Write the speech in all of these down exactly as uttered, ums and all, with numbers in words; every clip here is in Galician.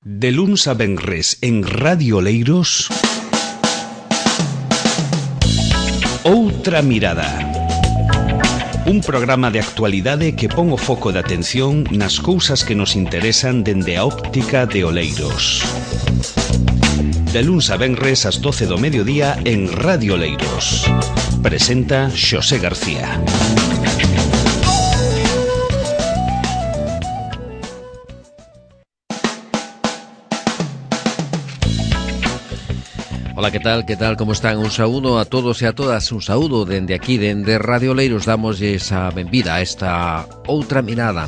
De luns a venres en Radio Oleiros, Outra Mirada. Un programa de actualidade que pon o foco de atención nas cousas que nos interesan dende a óptica de Oleiros. De luns a venres ás doce do mediodía en Radio Oleiros. Presenta Xosé García. Ola, que tal, que tal, como están? Un saúdo a todos e a todas, un saúdo dende aquí, dende Radio Oleiros. Damosles a benvida a esta outra mirada,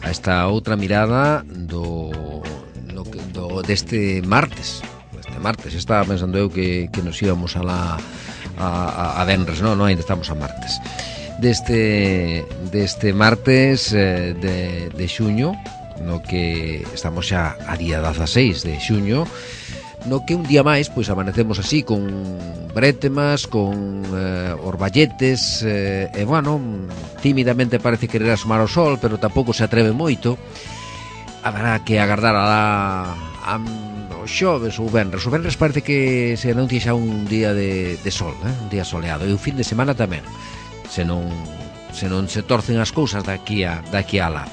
a esta outra mirada do, no, do deste martes. Este martes, estaba pensando eu que, que nos íbamos a la a, a, a venres, non, non, ainda estamos a martes. Deste, deste martes eh, de, de xuño, no que estamos xa a día dezaseis de xuño, no que un día máis pois amanecemos así con brétemas, con eh, orballetes eh, e bueno, tímidamente parece querer asomar o sol, pero tampouco se atreve moito. Habrá que agardar a, a, a o xoves ou venres. O venres parece que se anuncia xa un día de, de sol, eh? Un día soleado, e o fin de semana tamén, se non se non se torcen as cousas daqui a daqui a lá.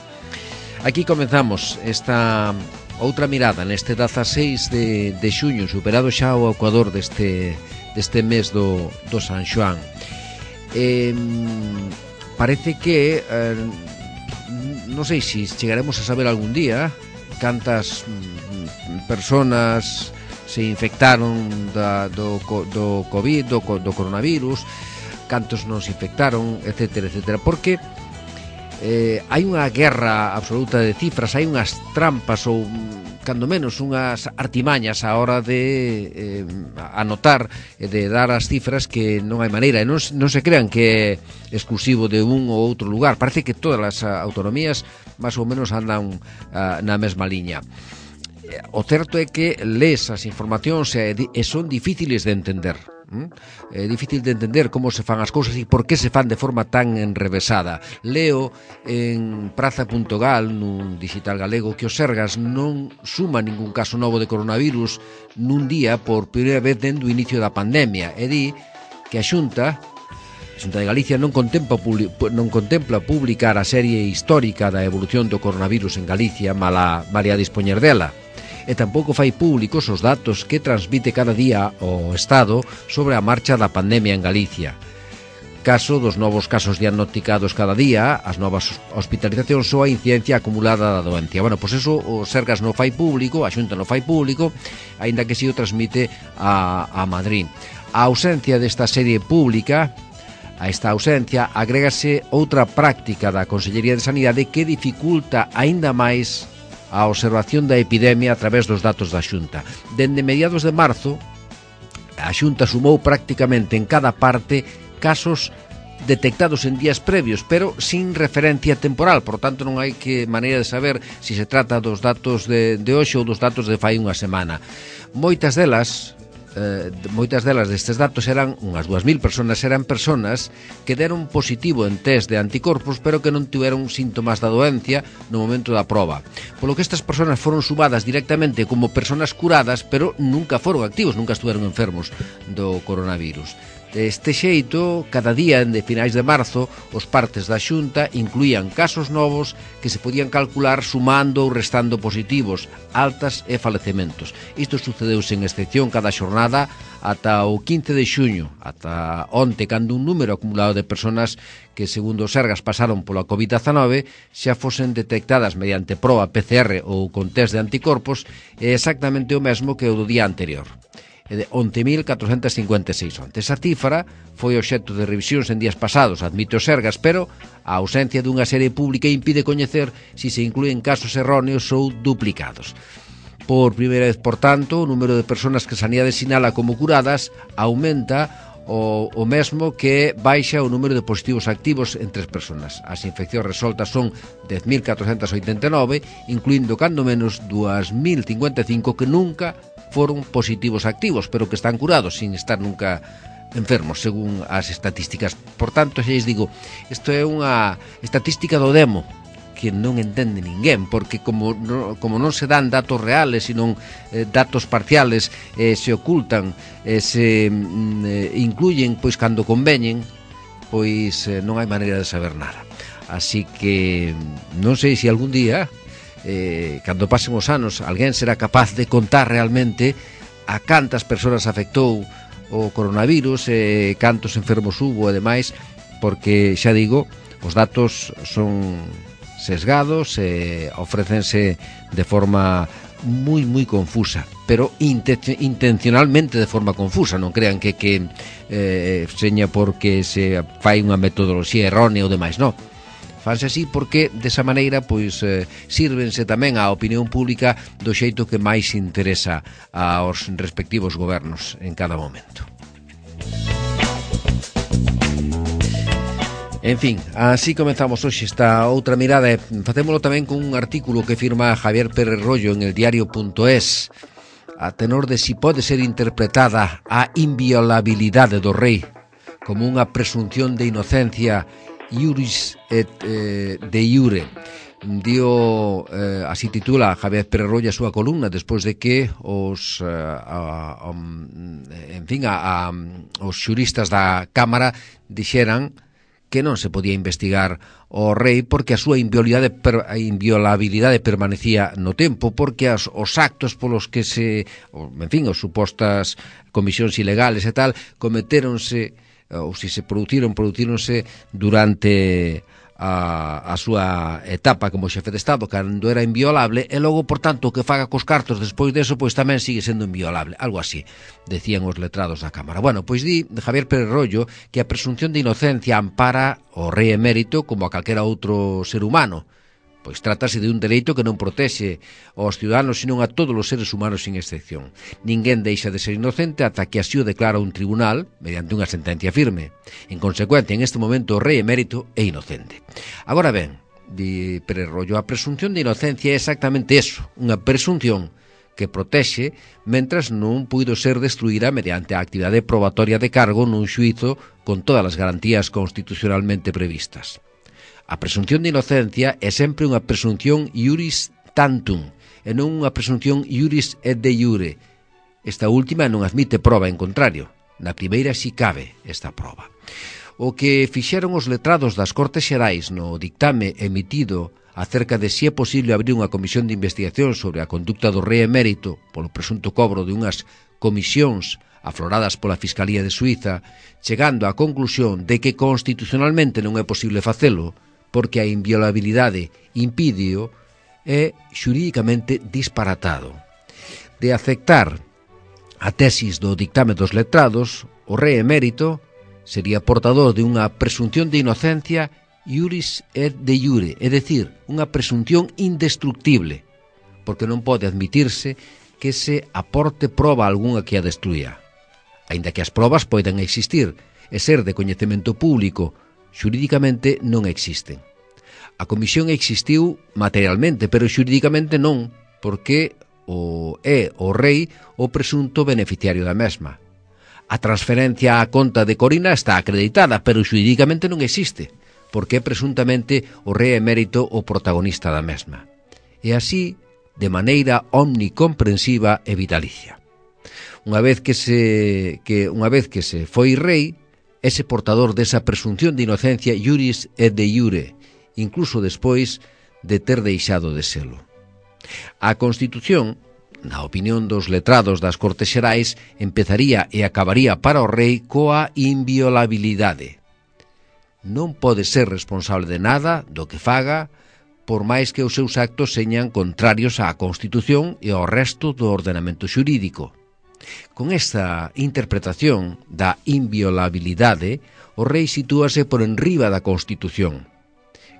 Aquí comenzamos esta outra mirada neste dezaseis de, de xuño, superado xa o ecuador deste, deste mes do, do San Xoán. Eh, parece que eh, non sei se chegaremos a saber algún día cantas personas se infectaron da, do, do COVID, do, do coronavirus, cantos non se infectaron, etcétera, etcétera, porque Eh, hai unha guerra absoluta de cifras, hai unhas trampas ou, cando menos, unhas artimañas a hora de eh, anotar e de dar as cifras que non hai maneira, e non, non se crean que é exclusivo de un ou outro lugar. Parece que todas as autonomías máis ou menos andan uh, na mesma liña. O certo é que lees as informacións e, e son difíciles de entender. ¿Mm? É difícil de entender como se fan as cousas e por que se fan de forma tan enrevesada. Leo en praza punto gal, nun digital galego, que o Sergas non suma ningún caso novo de coronavirus nun día por primeira vez dende o inicio da pandemia, e di que a Xunta a Xunta de Galicia non contempla, non contempla publicar a serie histórica da evolución do coronavirus en Galicia, mala, malia dispoñer dela, e tampouco fai públicos os datos que transmite cada día o Estado sobre a marcha da pandemia en Galicia. Caso dos novos casos diagnosticados cada día, as novas hospitalizacións ou a incidencia acumulada da doencia. Bueno, pois eso o Sergas non fai público, a Xunta non fai público, aínda que si o transmite a, a Madrid. A ausencia desta serie pública, a esta ausencia, agrégase outra práctica da Consellería de Sanidade que dificulta aínda máis a observación da epidemia a través dos datos da Xunta. Dende mediados de marzo, a Xunta sumou prácticamente en cada parte casos detectados en días previos, pero sin referencia temporal, por tanto non hai que maneira de saber se se trata dos datos de, de hoxe ou dos datos de fai unha semana. Moitas delas Eh, moitas delas destes datos eran unhas dúas mil personas, eran personas que deron positivo en test de anticorpos pero que non tiveron síntomas da doencia no momento da proba, polo que estas personas foron sumadas directamente como personas curadas pero nunca foron activos, nunca estuveron enfermos do coronavirus. Deste xeito, cada día de finais de marzo, os partes da Xunta incluían casos novos que se podían calcular sumando ou restando positivos, altas e falecementos. Isto sucedeu sen excepción cada xornada ata o quince de xuño, ata onte, cando un número acumulado de personas que, segundo os Sergas, pasaron pola covid dezanove xa fosen detectadas mediante proba P C R ou con test de anticorpos, é exactamente o mesmo que o do día anterior, de once mil catrocentos cincuenta e seis onte. Esa cifra foi obxecto de revisións en días pasados, admite o Sergas, pero a ausencia dunha serie pública impide coñecer se se inclúen casos erróneos ou duplicados. Por primeira vez, por tanto, o número de persoas que Sanidade sinala como curadas aumenta o, o mesmo que baixa o número de positivos activos entre as persoas. As infeccións resoltas son dez mil catrocentos oitenta e nove, incluindo cando menos dous mil cincuenta e cinco que nunca foron positivos activos, pero que están curados sin estar nunca enfermos, según as estatísticas. Por tanto, xa lles digo, isto é unha estatística do demo, que non entende ninguén, porque como, no, como non se dan datos reales, sino eh, datos parciales, eh, se ocultan, eh, se eh, incluyen pois cando conveñen, pois eh, non hai maneira de saber nada. Así que non sei se algún día, eh, cando pasen os anos, alguén será capaz de contar realmente a cantas persoas afectou o coronavirus, eh, cantos enfermos hubo e demais, porque, xa digo, os datos son sesgados e eh, ofrécense de forma moi, moi confusa, pero intencionalmente de forma confusa. Non crean que, que eh, seña porque se fai unha metodoloxía errónea ou demais, non. Fanse así porque, desa maneira, pois eh, sírvense tamén á opinión pública do xeito que máis interesa aos respectivos gobernos en cada momento. En fin, así comenzamos hoxe esta outra mirada e facémolo tamén con un artículo que firma Javier Pérez Rollo en el diario punto es a tenor de si pode ser interpretada a inviolabilidade do rei como unha presunción de inocencia iuris et eh, de iure. Dio, eh, así titula Javier Pérez Rollo a súa columna despois de que os eh, a, a, en fin, a, a, os xuristas da Cámara dixeran que non se podía investigar o rei porque a súa inviolabilidade, a inviolabilidade permanecía no tempo, porque as, os actos polos que se, en fin, os supostas comisións ilegales e tal, cometéronse, ou se se produciron, producíronse durante a, a súa etapa como xefe de Estado, cando era inviolable, e logo, por tanto, o que faga cos cartos despois deso, pois tamén sigue sendo inviolable, algo así, decían os letrados da Cámara. Bueno, pois di Javier Pérez Rollo que a presunción de inocencia ampara o rei emérito como a calquera outro ser humano, pois trátase de un dereito que non protexe aos ciudadanos, senón a todos os seres humanos sin excepción. Ninguén deixa de ser inocente ata que así o declara un tribunal mediante unha sentencia firme. En consecuencia, en este momento o rei emérito é inocente. Agora ben, di Pérez Rollo, a presunción de inocencia é exactamente eso, unha presunción que protexe mentras non puido ser destruída mediante a actividade probatoria de cargo nun xuízo con todas as garantías constitucionalmente previstas. A presunción de inocencia é sempre unha presunción iuris tantum e non unha presunción iuris et de iure. Esta última non admite proba en contrario. Na primeira si cabe esta proba. O que fixeron os letrados das Cortes Xerais no dictame emitido acerca de si é posible abrir unha comisión de investigación sobre a conducta do rei emérito polo presunto cobro de unhas comisións afloradas pola Fiscalía de Suiza, chegando á conclusión de que constitucionalmente non é posible facelo, porque a inviolabilidade impídeo é xurídicamente disparatado. De aceptar a tesis do dictame dos letrados, o rei emérito sería portador de unha presunción de inocencia iuris et de iure, é dicir, unha presunción indestructible, porque non pode admitirse que se aporte proba algunha que a destruía. Aínda que as probas poden existir e ser de coñecemento público, xurídicamente non existen. A comisión existiu materialmente, pero xurídicamente non, porque o é o rei o presunto beneficiario da mesma. A transferencia á conta de Corina está acreditada, pero xurídicamente non existe, porque é presuntamente o rei emérito o protagonista da mesma. E así, de maneira omnicomprensiva e vitalicia. Unha vez que se que unha vez que se foi rei, ese portador desa presunción de inocencia iuris et de iure, incluso despois de ter deixado de selo. A Constitución, na opinión dos letrados das Cortes Xerais, empezaría e acabaría para o rei coa inviolabilidade. Non pode ser responsable de nada do que faga, por máis que os seus actos señan contrarios á Constitución e ao resto do ordenamento xurídico. Con esta interpretación da inviolabilidade, o rei sitúase por enriba da Constitución,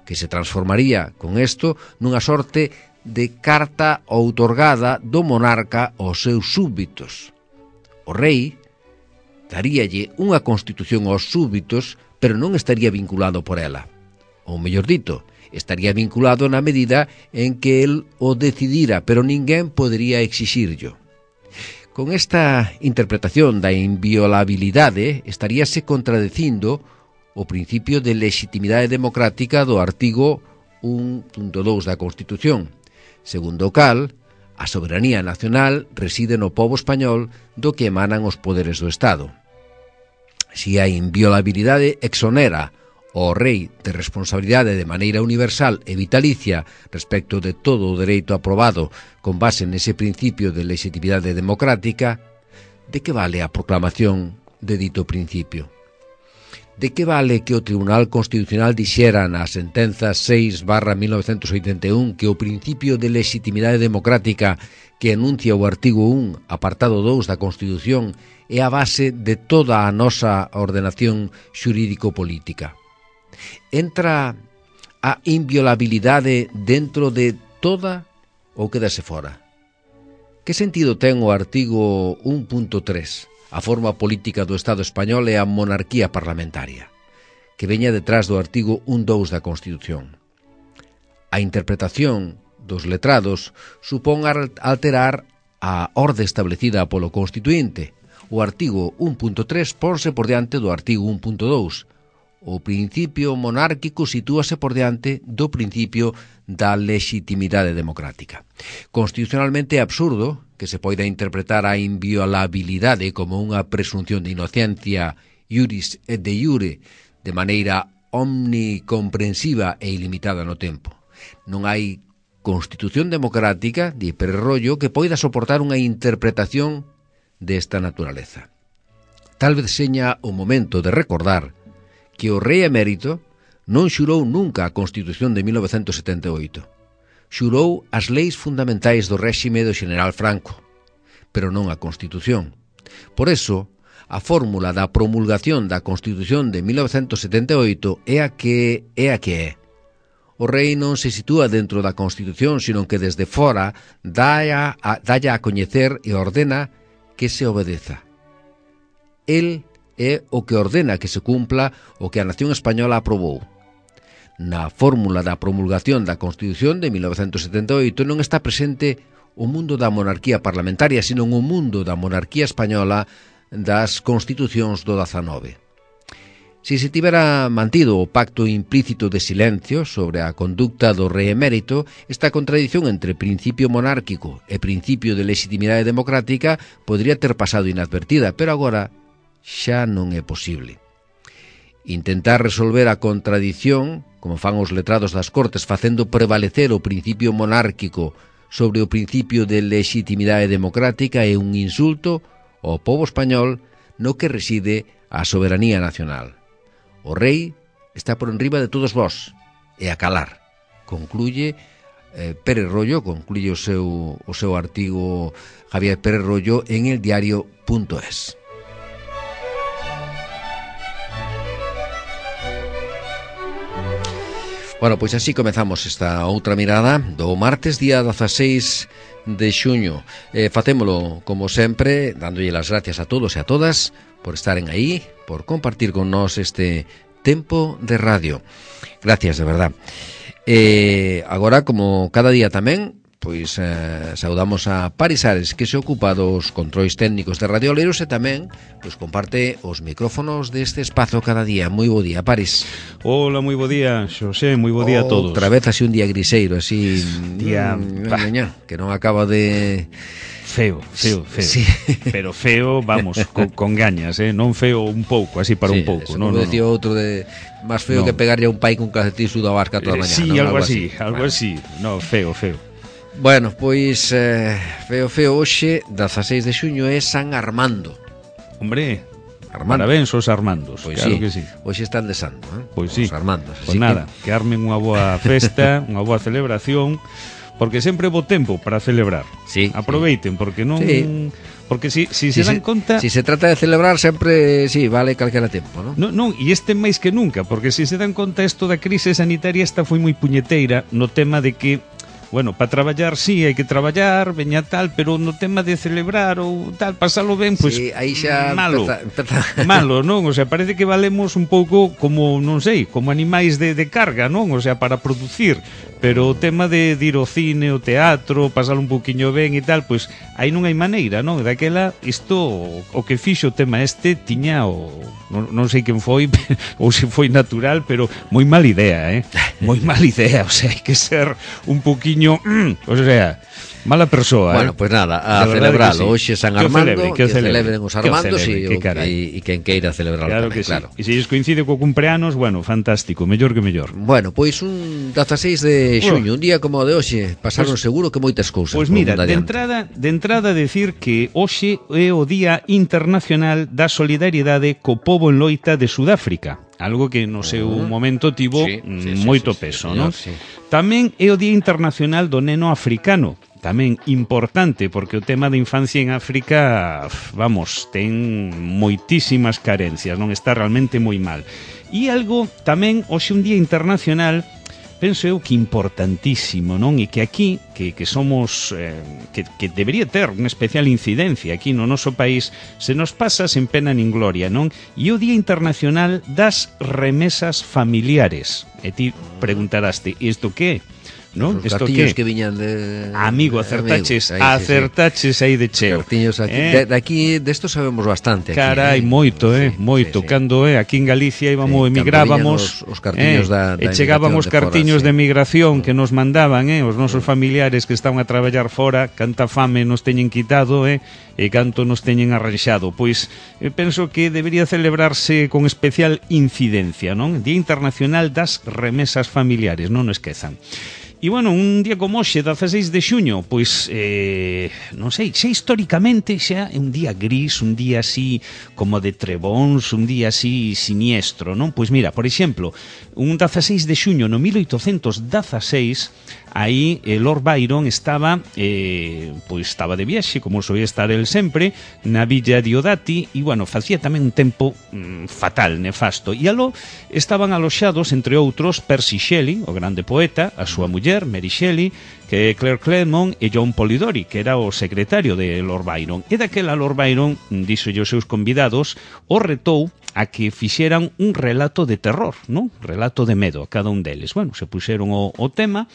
que se transformaría con isto nunha sorte de carta outorgada do monarca aos seus súbditos. O rei daríalle unha Constitución aos súbditos, pero non estaría vinculado por ela. Ou mellor dito, estaría vinculado na medida en que el o decidira, pero ninguén podería exixirlo. Con esta interpretación da inviolabilidade estaríase contradecindo o principio de legitimidade democrática do artigo un punto dous da Constitución, segundo o cal, a soberanía nacional reside no pobo español do que emanan os poderes do Estado. Si a inviolabilidade exonera o rei de responsabilidade de maneira universal e vitalicia respecto de todo o dereito aprobado con base nese principio de legitimidade democrática, de que vale a proclamación de dito principio? De que vale que o Tribunal Constitucional dixera na sentenza seis barra mil novecentos oitenta e un que o principio de legitimidade democrática que enuncia o artigo un, apartado dous da Constitución, é a base de toda a nosa ordenación xurídico-política? Entra a inviolabilidade dentro de toda ou quedase fora? Que sentido ten o artigo un punto tres? A forma política do Estado español é a monarquía parlamentaria, que veña detrás do artigo un punto dous da Constitución. A interpretación dos letrados supón alterar a orde establecida polo Constituinte. O artigo un punto tres ponse por diante do artigo un punto dous. O principio monárquico sitúase por diante do principio da legitimidade democrática. Constitucionalmente é absurdo que se poida interpretar a inviolabilidade como unha presunción de inocencia iuris et de iure de maneira omnicomprensiva e ilimitada no tempo. Non hai Constitución democrática, di Pérez Royo, que poida soportar unha interpretación desta naturaleza. Tal vez seña o momento de recordar que o rei emérito non xurou nunca a Constitución de mil novecentos setenta e oito. Xurou as leis fundamentais do réxime do Xeneral Franco, pero non a Constitución. Por eso, a fórmula da promulgación da Constitución de mil novecentos setenta e oito é a que é a que é. O rei non se sitúa dentro da Constitución, sino que desde fora dalla a, dalla a coñecer e ordena que se obedeza. El é o que ordena que se cumpla o que a nación española aprobou. Na fórmula da promulgación da Constitución de mil novecentos setenta e oito non está presente o mundo da monarquía parlamentaria, sino o mundo da monarquía española das constitucións do dezanove. Si se tivera mantido o pacto implícito de silencio sobre a conducta do rei emérito, esta contradición entre principio monárquico e principio de legitimidade democrática podría ter pasado inadvertida, pero agora xa non é posible. Intentar resolver a contradición, como fan os letrados das Cortes, facendo prevalecer o principio monárquico sobre o principio de legitimidade democrática é un insulto ao pobo español no que reside a soberanía nacional. O rei está por enriba de todos vós e a calar, concluye eh, Pérez Royo, concluye o seu, o seu artigo Javier Pérez Royo en el diario punto es. Bueno, pois así comezamos esta outra mirada do martes día dezaseis de xuño. Eh, facémolo, como sempre, dándolle as gracias a todos e a todas por estaren aí, por compartir con nós este tempo de radio. Gracias, de verdad. Eh, agora, como cada día tamén, pois eh, saudamos a Paris Ares, que se ocupa dos controis técnicos de Radio Oleiros e tamén pois comparte os micrófonos deste espazo cada día. Moi bo día, Paris. Hola, moi bo día, Xosé, moi bo día a todos. Outra vez así un día griseiro, así día, mm, ña, que non acaba de... Feo, feo, feo. Sí. Pero feo, vamos, con, con gañas, eh? Non feo un pouco, así para sí, un pouco. No, no, decía no. outro de máis feo no. que pegarlle a un pai con calcetín sudado a barca toda a mañana. Sí, ¿no? algo, algo así, así, algo bueno. así. No, feo, feo. Bueno, pois eh, feo, feo hoxe, dezaseis de xuño, é San Armando. Hombre, Armando. Parabéns aos Armandos, Pois claro sí, que sí. Hoxe están de santo, eh? Pois sí. Os Armandos. Pois nada, que... que armen unha boa festa, unha boa celebración, porque sempre é bo tempo para celebrar. Sí. Aproveiten, porque non... Sí. Porque si, si, si se dan se, conta... Si se trata de celebrar sempre, sí, vale calquera tempo, ¿no? Non, non, e este máis que nunca, porque se se dan conta isto da crise sanitaria esta foi moi puñeteira no tema de que, bueno, para traballar sí, hai que traballar, veña tal, pero no tema de celebrar ou tal, pasalo ben, pois sí, aí xa malo, empeza, empeza... malo, non? O sea, parece que valemos un pouco como, non sei, como animais de, de carga, non? O sea, para producir, pero o tema de, de ir ao cine, o teatro, pasar un poquinho ben e tal, pois aí non hai maneira, non? Daquela, isto, o que fixo o tema este, tiña o... Non, non sei quen foi, ou se foi natural, pero moi mal idea, eh? Moi mal idea, o sea, hai que ser un poquinho... Mm, o sea... Mala persoa, bueno, eh? Pois pues nada, a celebralo. Hoxe San Armando, que, que celebren os Armandos e e quen queira celebralo claro tamén, que claro. Sí. E se lles coincide co cumpleanos, bueno, fantástico, mellor que mellor. Bueno, pois un dezaseis de xuño, oh. un día como o de hoxe, pasaron pues, seguro que moitas cousas. Pois pues mira, de entrada, de entrada decir que hoxe é o Día Internacional da Solidariedade co pobo en loita de Sudáfrica. Algo que no seu uh -huh. momento tivo sí, sí, moito sí, sí, peso, sí, non? Sí. Tamén é o Día Internacional do Neno Africano, tamén importante, porque o tema da infancia en África, vamos, ten moitísimas carencias, non está realmente moi mal. E algo tamén, hoxe un Día Internacional, penso eu que importantísimo, non? E que aquí, que, que somos, eh, que, que debería ter unha especial incidencia aquí no noso país, se nos pasa sen pena nin gloria, non? E o Día Internacional das Remesas Familiares. E ti preguntaraste, isto que é? ¿No? Os cartiños que viñan de... Amigo, acertaches, amigo, aí, acertaches sí, sí. aí de cheo. Cartiños aquí, eh? de, de aquí, desto sabemos bastante. Aquí, Carai, eh? moito, eh, sí, moito. Sí, sí. Cando, eh, aquí en Galicia íbamos, sí, emigrábamos, os, os cartiños eh, da, da e chegaban os cartiños de, fora, de emigración sí. que nos mandaban, eh, os nosos familiares que estaban a traballar fora, canta fame nos teñen quitado, eh, e canto nos teñen arranxado. Pois, eh, penso que debería celebrarse con especial incidencia, non? Día Internacional das Remesas Familiares, non o esquezan. E, bueno, un día como hoxe, dezaseis de xuño, pois, eh, non sei, xa históricamente xa é un día gris, un día así como de trebóns, un día así siniestro, non? Pois mira, por exemplo, un dezaseis de xuño no mil oitocentos dezaseis, aí eh, Lord Byron estaba eh, pois estaba de viaxe, como soía estar el sempre, na villa Diodati, e, bueno, facía tamén un tempo mm, fatal, nefasto, e aló estaban aloxados, entre outros, Percy Shelley, o grande poeta, a súa muller, Mary Shelley, que Claire Claremont e John Polidori, que era o secretario de Lord Byron. E daquela Lord Byron, díxolle aos seus convidados, o retou a que fixeran un relato de terror, non? Relato de medo a cada un deles. Bueno, se puxeron o, o tema.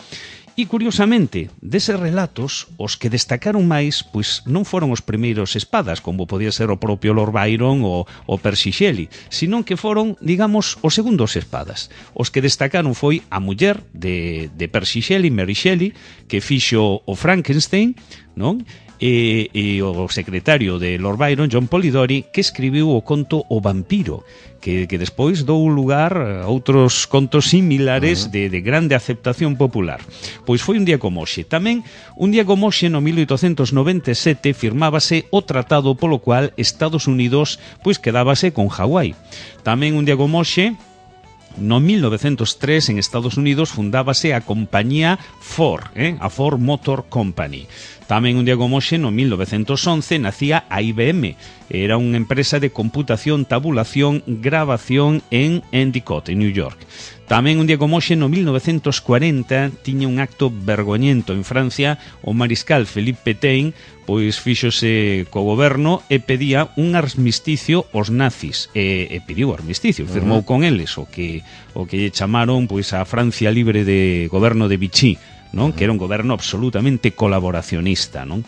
E, curiosamente, deses relatos, os que destacaron máis, pois non foron os primeiros espadas, como podía ser o propio Lord Byron ou o Percy Shelley, senón que foron, digamos, os segundos espadas. Os que destacaron foi a muller de, de Percy Shelley, Mary Shelley, que fixo o Frankenstein, non? E, e o secretario de Lord Byron, John Polidori, que escribiu o conto O Vampiro, que, que despois dou lugar a outros contos similares uh -huh. de, de grande aceptación popular. Pois foi un día como hoxe. Tamén, un día como hoxe, no mil oitocentos noventa e sete, firmábase o tratado polo cual Estados Unidos pois quedábase con Hawái. Tamén un día como hoxe, no mil novecentos tres, en Estados Unidos fundábase a compañía Ford, eh? a Ford Motor Company. Tamén un día como hoxe, no mil novecentos once, nacía a I B M. Era unha empresa de computación, tabulación, grabación en Endicott, en New York. Tamén un día como hoxe, no mil novecentos cuarenta, tiña un acto vergoñento en Francia, o mariscal Philippe Pétain, pois fíxose co goberno e pedía un armisticio aos nazis, e, e pediu armisticio, firmou uh -huh. con eles o que o que lle chamaron pois a Francia libre de goberno de Vichy, non? Que era un goberno absolutamente colaboracionista, non?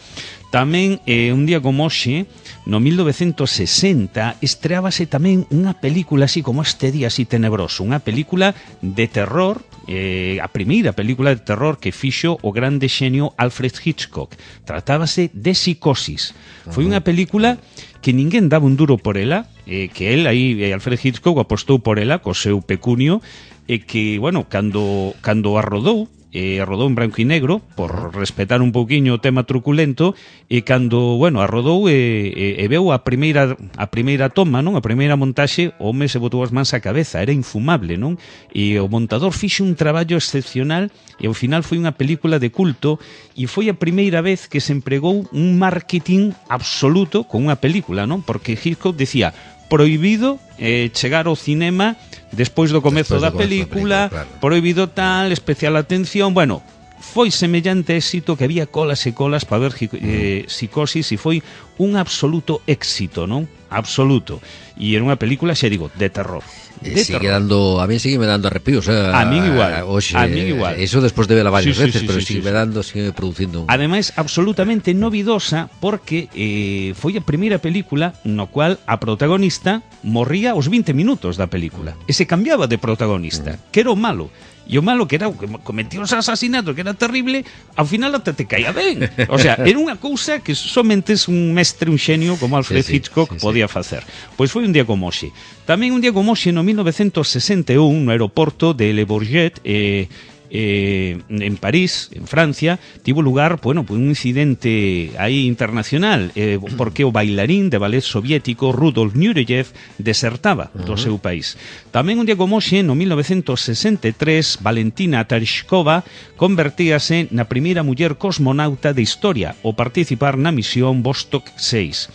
Tamén, eh, un día como hoxe, no mil novecentos sesenta, estreábase tamén unha película así como este día así tenebroso, unha película de terror, eh, a primeira película de terror que fixo o grande xenio Alfred Hitchcock. Tratábase de Psicosis. Foi unha película que ninguén daba un duro por ela, eh, que el aí, eh, Alfred Hitchcock apostou por ela co seu pecunio, e que, bueno, cando, cando a rodou, e a rodou en branco e negro por respetar un pouquiño o tema truculento, e cando, bueno, a rodou e, e, e veu a primeira a primeira toma, non? A primeira montaxe, o home se botou as mans á cabeza, era infumable, non? E o montador fixe un traballo excepcional e ao final foi unha película de culto, e foi a primeira vez que se empregou un marketing absoluto con unha película, non? Porque Hitchcock decía prohibido eh, chegar ao cinema despois do comezo da película, película claro. Prohibido tal, especial atención, bueno, foi semellante éxito que había colas e colas para ver eh, Psicosis e foi un absoluto éxito, non? Absoluto. E era unha película, xa digo, de terror. De sigue terror. Dando, a mí sigue me dando arrepios, eh, a min igual, oxe, a min igual. Eso despois de vela varias sí, veces, sí, pero sí, sigue sí, me dando, sigue producindo un... Ademais, absolutamente novidosa porque eh, foi a primeira película no cual a protagonista morría aos vinte minutos da película e se cambiaba de protagonista, que era o malo. E o malo que era o que cometía os asasinatos, que era terrible, ao final até te caía ben. O sea, era unha cousa que somente es un mestre, un xenio como Alfred sí, sí, Hitchcock sí, sí. podía facer. Pois foi un día como hoxe. Tamén un día como hoxe no mil novecentos sesenta e un no aeroporto de Le Bourget, eh, Eh, en París, en Francia, tivo lugar, bueno, pues un incidente aí internacional, eh, porque o bailarín de ballet soviético Rudolf Nureyev desertaba do uh-huh. seu país. Tamén un día como hoxe, no mil novecentos sesenta e tres, Valentina Tereshkova convertíase na primeira muller cosmonauta de historia ao participar na misión Vostok seis.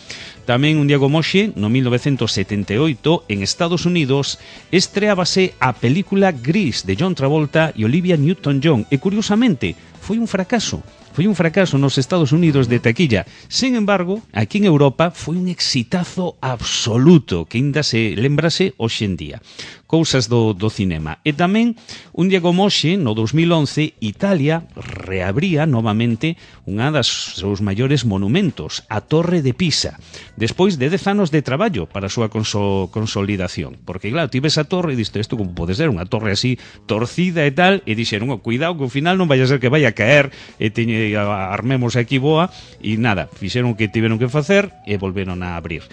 Tamén un día como hoxe, no mil novecentos setenta e oito, en Estados Unidos, estreábase a película Gris de John Travolta e Olivia Newton-John e, curiosamente, foi un fracaso. Foi un fracaso nos Estados Unidos de taquilla. Sin embargo, aquí en Europa foi un exitazo absoluto que ainda se lembrase hoxe en día. Cousas do, do cinema. E tamén, un día como hoxe, no dos mil once, Italia reabría novamente unha das seus maiores monumentos, a Torre de Pisa, despois de dez anos de traballo para a súa conso, consolidación. Porque, claro, tive esa torre e diste, isto como pode ser, unha torre así torcida e tal, e dixeron, oh, cuidado que ao final non vai a ser que vai a caer e teñe, armemos aquí boa, e nada, fixeron o que tiveron que facer e volveron a abrir.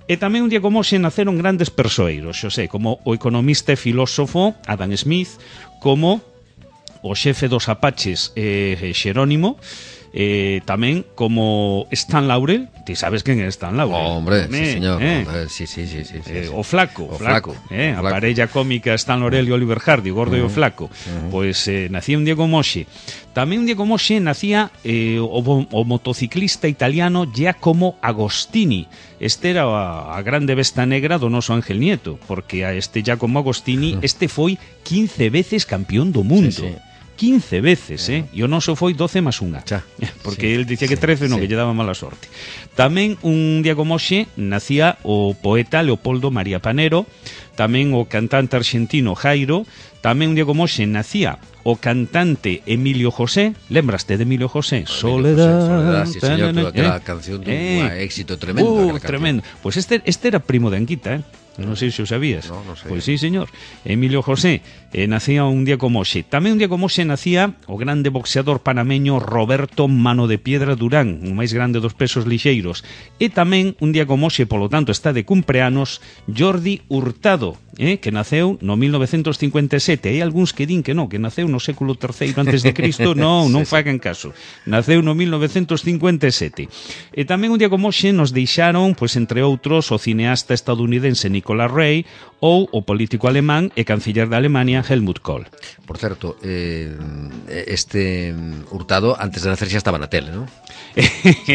E tamén un día como hoxe naceron grandes persoeiros, xo sei, como o economista e filósofo Adam Smith, como o xefe dos Apaches eh, Xerónimo, eh, tamén como Stan Laurel. Ti sabes quen é Stan Laurel? Oh, hombre, Me, sí, señor. eh, eh, sí, sí, sí, sí, sí, eh, sí. O flaco, o flaco, flaco, eh, o a flaco. parella cómica Stan Laurel e Oliver Hardy, o gordo uh-huh. e o flaco. Uh-huh. Pois eh, nacía un día como hoxe. Tamén un día como hoxe nacía eh, o, o motociclista italiano Giacomo Agostini. Este era a, a grande besta negra do noso Ángel Nieto, porque a este Giacomo Agostini, este foi quince veces campeón do mundo. Sí, sí. quince veces, eh? E o noso foi doce más unha. Xa. Porque sí, el dicía que trece, non, sí. que lle daba mala sorte. Tamén un día como hoxe nacía o poeta Leopoldo María Panero, tamén o cantante argentino Jairo, tamén un día como hoxe nacía o cantante Emilio José. Lembraste de Emilio José? Soledad, Soledad, sí, señor, toda aquela eh, canción de un eh, éxito tremendo. Uh, tremendo. Pois pues este, este era primo de Anquita, eh? Non sei se o sabías. No, no sei. Pois sí, señor. Emilio José eh, nacía un día como hoxe. Tamén un día como hoxe nacía o grande boxeador panameño Roberto Mano de Piedra Durán, o máis grande dos pesos lixeiros. E tamén un día como hoxe, polo tanto, está de cumpleanos Jordi Hurtado, eh, que naceu no mil novecentos cincuenta e sete. Hai algúns que din que non, que naceu no século terceiro antes de Cristo. Non, non sí, fagan caso. Naceu no mil novecentos cincuenta e sete. E tamén un día como hoxe nos deixaron, pois entre outros, o cineasta estadounidense Nicolas Rey ou o político alemán e canciller da Alemania Helmut Kohl. Por certo, eh, este Hurtado antes de nacer xa estaba na tele, non?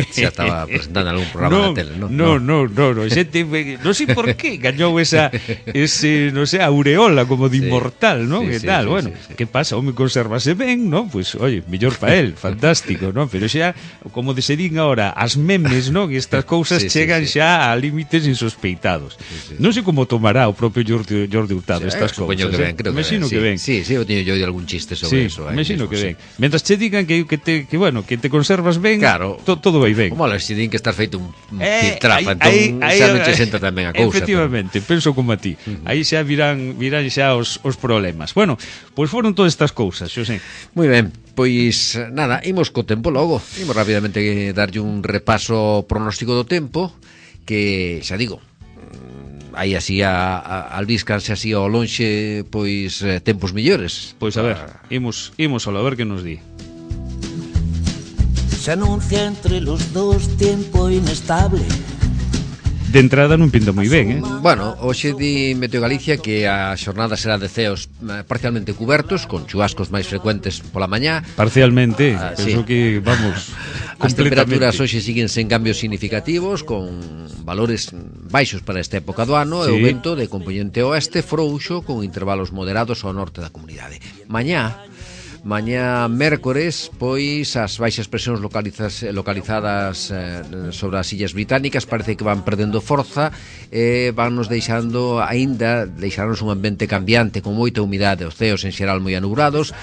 Xa estaba presentando algún programa no, na tele, non? No, no, no, no, xente, non sei por qué gañou esa ese, non sei, aureola como de sí, inmortal, non? Sí, que sí, tal, sí, bueno, sí, sí. Que pasa? Home, consérvase ben, non? Pois, pues, oye, mellor pa él, fantástico, non? Pero xa, como de se din agora, as memes, non? E estas cousas sí, chegan sí, sí. xa a límites insospeitados. Sí, sí. Non sei como tomará o propio Jordi, Jordi Hurtado sí, estas cousas. Que ben, creo que Mexino que ben. Sí, sí, eu teño yo de algún chiste sobre sí, eso. Eh, Mexino que ben. Sí. Mentras che digan que, que, te, que, bueno, que te conservas ben, claro, to, todo vai ben. Como se din que estás feito un, un eh, pitrafa, entón xa non che senta tamén a cousa. Efectivamente, pero... penso como a ti. Uh-huh. Aí xa virán, virán xa os, os problemas. Bueno, pois pues foron todas estas cousas, xo sei. Moi ben. Pois nada, imos co tempo logo. Imos rapidamente darlle un repaso pronóstico do tempo, que xa digo, aí así a, a albíscanse así ao lonxe, pois eh, tempos millores. Pois a ver, imos imos a ver que nos di. Se anuncia entre los dos tiempo inestable. De entrada non pinta moi ben, eh? Bueno, hoxe di Meteo Galicia que a xornada será de ceos parcialmente cubertos, con chubascos máis frecuentes pola mañá. Parcialmente, ah, penso sí. que, vamos, as temperaturas hoxe siguen sen cambios significativos, con valores baixos para esta época do ano, sí. E o vento de componente oeste frouxo, con intervalos moderados ao norte da comunidade. Mañá Mañá mércores, pois as baixas presións localizas, localizadas eh, sobre as illas británicas parece que van perdendo forza e eh, van nos deixando aínda, deixarnos un ambiente cambiante con moita humidade, os ceos en xeral moi anubrados,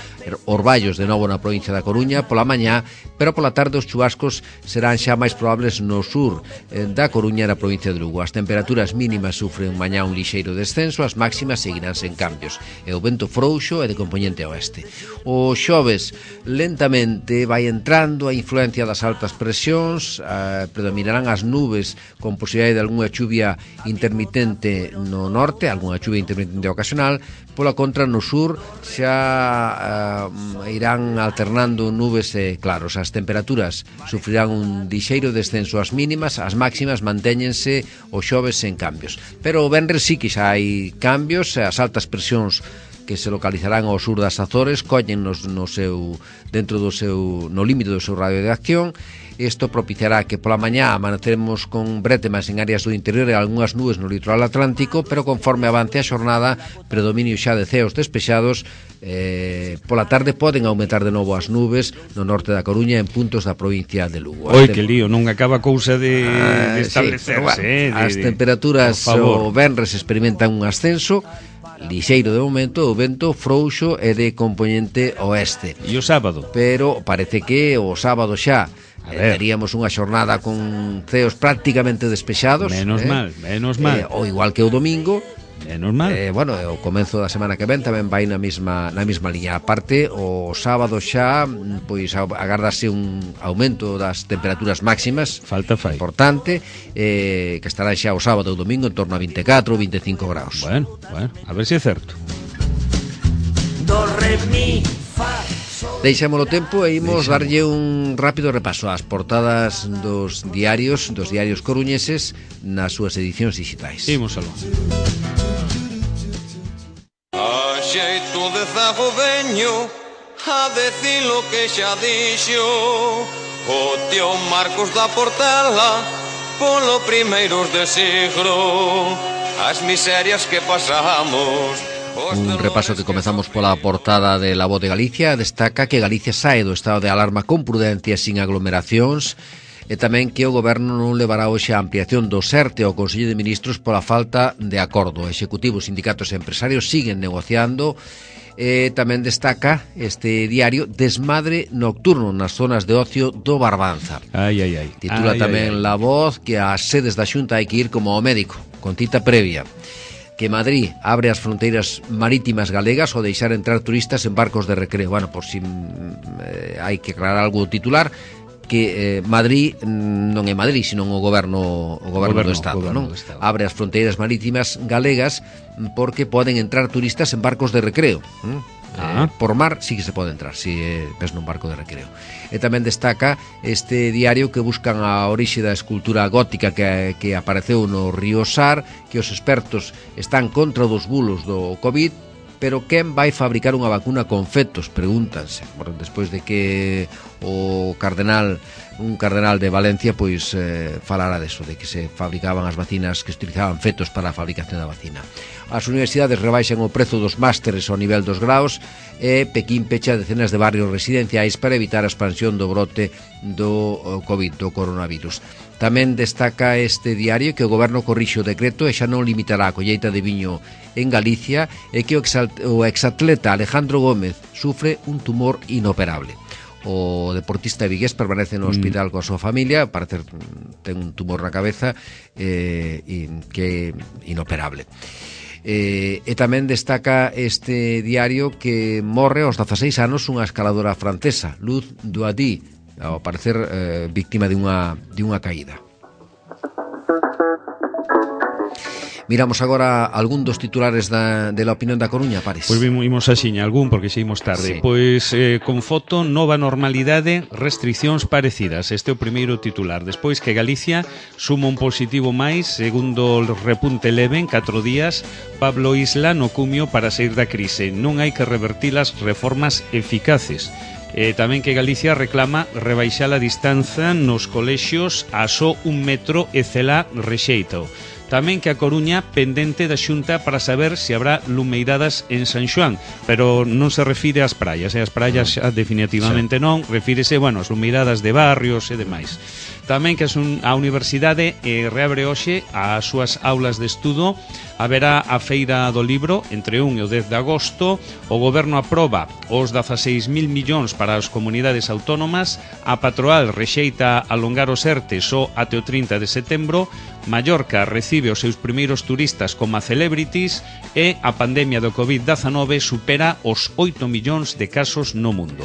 orballos de novo na provincia da Coruña pola mañá, pero pola tarde os chubascos serán xa máis probables no sur eh, da Coruña e na provincia de Lugo. As temperaturas mínimas sufren mañá un lixeiro descenso, as máximas seguirán sen cambios e o vento frouxo é de componente oeste. O xoves lentamente vai entrando a influencia das altas presións, eh, predominarán as nubes con posibilidade de algunha chuvia intermitente no norte, algunha chuvia intermitente ocasional, pola contra no sur xa eh, irán alternando nubes e claros. As temperaturas sufrirán un lixeiro descenso ás mínimas, as máximas mantéñense o xoves sen cambios. Pero o venres sí que xa hai cambios, as altas presións que se localizarán ao sur das Azores collen nos, no seu, dentro do seu, no límite do seu radio de acción. Isto propiciará que pola mañá amaneceremos con brétemas en áreas do interior e algunhas nubes no litoral atlántico, pero conforme avance a xornada, predominio xa de ceos despexados. Eh, pola tarde poden aumentar de novo as nubes no norte da Coruña en puntos da provincia de Lugo. Oi, que lío, non acaba cousa de, ah, de establecerse, sí, bueno, eh, de, as temperaturas o venres experimentan un ascenso lixeiro de momento, o vento frouxo e de componente oeste. E o sábado? Pero parece que o sábado xa eh, teríamos unha xornada con ceos prácticamente despexados. Menos eh, mal, menos mal. Eh, ou igual que o domingo. Menos mal. Eh, bueno, o comezo da semana que ven tamén vai na mesma na mesma liña. Aparte, o sábado xa pois agardase un aumento das temperaturas máximas. Falta fai. Importante, eh, que estará xa o sábado e o domingo en torno a vinte e catro ou vinte e cinco graus. Bueno, bueno, a ver se é certo. Do, re, mi, fa. Deixémolo tempo e imos Deixamos. darlle un rápido repaso ás portadas dos diarios, dos diarios coruñeses nas súas edicións digitais. Imos aló. A xeito de zago veño a decir lo que xa dixo o tío Marcos da Portela polo primeiros de siglo as miserias que pasamos. Un repaso que comezamos pola portada de La Voz de Galicia. Destaca que Galicia sae do estado de alarma con prudencia sin aglomeracións e tamén que o goberno non levará hoxe a ampliación do SERTE ao Consello de Ministros pola falta de acordo. Executivos, sindicatos e empresarios siguen negociando. E tamén destaca este diario desmadre nocturno nas zonas de ocio do Barbanza. Ai, ai, ai. Titula ai, tamén ai, ai. La Voz que as sedes da Xunta hai que ir como ao médico, con cita previa. Que Madrid abre as fronteiras marítimas galegas ao deixar entrar turistas en barcos de recreo. Bueno, por si eh, hai que aclarar algo Titular, que eh, Madrid non é Madrid, senón o goberno, o goberno, goberno do Estado, goberno non? Do Estado. Abre as fronteiras marítimas galegas porque poden entrar turistas en barcos de recreo. ¿eh? Ah. Eh, por mar sí que se pode entrar, si eh, ves nun barco de recreo. E tamén destaca este diario que buscan a orixe da escultura gótica que, que apareceu no río Sar, que os expertos están contra dos bulos do COVID, pero quen vai fabricar unha vacuna con fetos, pregúntanse. Bueno, despois de que o cardenal, un cardenal de Valencia, pois eh, falara deso, de que se fabricaban as vacinas, que se utilizaban fetos para a fabricación da vacina. As universidades rebaixan o prezo dos másteres ao nivel dos graus e Pequín pecha decenas de barrios residenciais para evitar a expansión do brote do COVID, do coronavirus. Tamén destaca este diario que o goberno corrixe o decreto e xa non limitará a colleita de viño en Galicia e que o exatleta Alejandro Gómez sufre un tumor inoperable. O deportista vigués permanece no hospital mm. coa súa familia, parece ten un tumor na cabeza eh, que é inoperable. Eh, e tamén destaca este diario que morre aos dezaseis anos unha escaladora francesa, Luz Douady, ao parecer eh, víctima de unha, de unha caída. Miramos agora algún dos titulares da, de la opinión da Coruña, Pares. Pois pues vimos axiña algún, porque xa imos tarde. Sí. Pois eh, con foto, nova normalidade, restriccións parecidas. Este é o primeiro titular. Despois que Galicia suma un positivo máis, segundo o repunte leve en catro días, Pablo Isla no cumio para sair da crise. Non hai que revertir as reformas eficaces. E tamén que Galicia reclama rebaixar a distanza nos colexios a só un metro e Cela rexeita. Tamén que a Coruña pendente da Xunta para saber se habrá lumeiradas en San Xoán, pero non se refire ás praias, e as praias xa definitivamente non, refírese, bueno, as lumeiradas de barrios e demais. Tamén que a Universidade eh, reabre hoxe as súas aulas de estudo. Haberá a Feira do Libro entre un e o dez de agosto. O Goberno aproba os dezaseis mil millóns para as comunidades autónomas. A Patroal rexeita alongar os ERTE só até o trinta de setembro. Mallorca recibe os seus primeiros turistas como celebrities e a pandemia do covid dezanove supera os oito millóns de casos no mundo.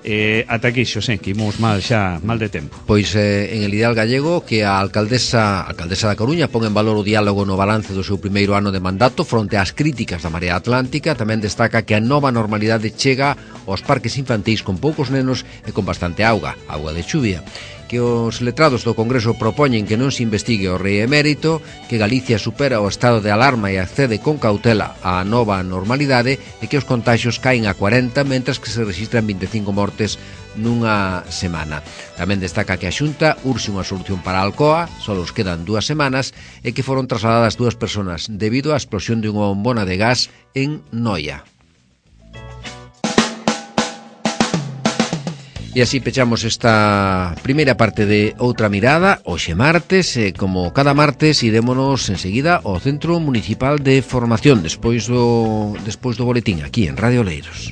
Eh, ata aquí, xosé, que imos mal xa, mal de tempo. Pois eh, en el ideal gallego que a alcaldesa, a alcaldesa da Coruña pon en valor o diálogo no balance do seu primeiro ano de mandato fronte ás críticas da Marea Atlántica. Tamén destaca que a nova normalidade chega aos parques infantís con poucos nenos e con bastante auga, auga de chuvia. Que os letrados do Congreso propoñen que non se investigue o rei emérito, que Galicia supera o estado de alarma e accede con cautela á nova normalidade e que os contaxios caen a cuarenta, mentras que se registran vinte e cinco mortes nunha semana. Tamén destaca que a Xunta urxe unha solución para a Alcoa, só os quedan dúas semanas, e que foron trasladadas dúas persoas debido á explosión de unha bombona de gas en Noia. E así pechamos esta primeira parte de Outra Mirada, hoxe martes, e como cada martes idémonos enseguida ao Centro Municipal de Formación, despois do, despois do boletín, aquí en Radio Oleiros.